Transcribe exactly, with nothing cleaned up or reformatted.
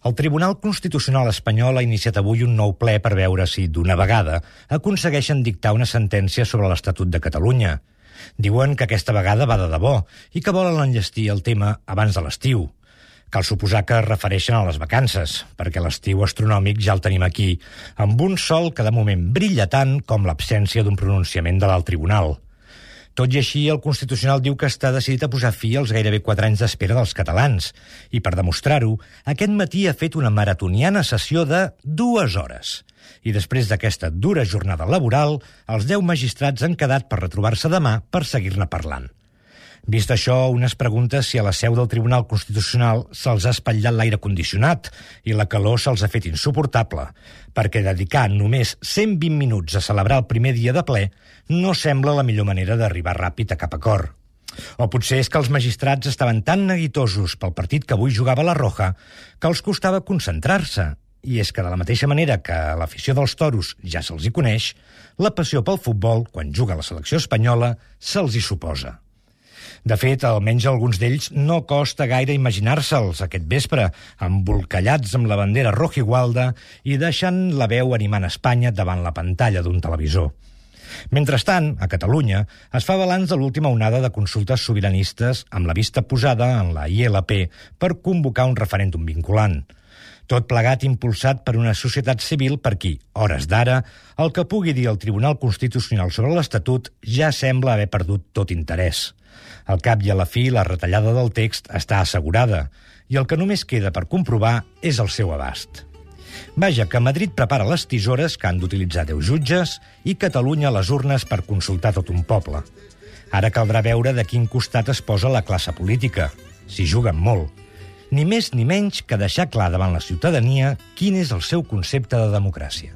El Tribunal Constitucional espanyol ha iniciat avui un nou ple per veure si, d'una vegada, aconsegueixen dictar una sentència sobre l'Estatut de Catalunya. Diuen que aquesta vegada va de debò i que volen enllestir el tema abans de l'estiu. Cal suposar que es refereixen a les vacances, perquè l'estiu astronòmic ja el tenim aquí, amb un sol que de moment brilla tant com l'absència d'un pronunciament de l'alt tribunal. Tot i així, el Constitucional diu que està decidit a posar fi als gairebé quatre anys d'espera dels catalans. I per demostrar-ho, aquest matí ha fet una maratoniana sessió de dues hores. I després d'aquesta dura jornada laboral, els deu magistrats han quedat per retrobar-se demà per seguir-ne parlant. Vist això, un es pregunta si a la seu del Tribunal Constitucional se'ls ha espatllat l'aire condicionat i la calor se'ls ha fet insuportable, perquè dedicar només cent vint minuts a celebrar el primer dia de ple no sembla la millor manera d'arribar ràpid a cap acord. O potser és que els magistrats estaven tan neguitosos pel partit que avui jugava la Roja que els costava concentrar-se. I és que de la mateixa manera que l'afició dels toros ja se'ls hi coneix, la passió pel futbol, quan juga la selecció espanyola, se'ls hi suposa. De fet, almenys alguns d'ells no costa gaire imaginar-se'ls aquest vespre, embolcallats amb la bandera rojigualda i deixant la veu animant Espanya davant la pantalla d'un televisor. Mentrestant, a Catalunya, es fa balanç de l'última onada de consultes sobiranistes amb la vista posada en la I L P per convocar un referèndum vinculant. Tot plegat impulsat per una societat civil per qui, hores d'ara, el que pugui dir el Tribunal Constitucional sobre l'Estatut ja sembla haver perdut tot interès. Al cap i a la fi, la retallada del text està assegurada i el que només queda per comprovar és el seu abast. Vaja, que Madrid prepara les tisores que han d'utilitzar deu jutges i Catalunya les urnes per consultar tot un poble. Ara caldrà veure de quin costat es posa la classe política, si juguen molt. Ni més ni menys que deixar clar davant la ciutadania quin és el seu concepte de democràcia.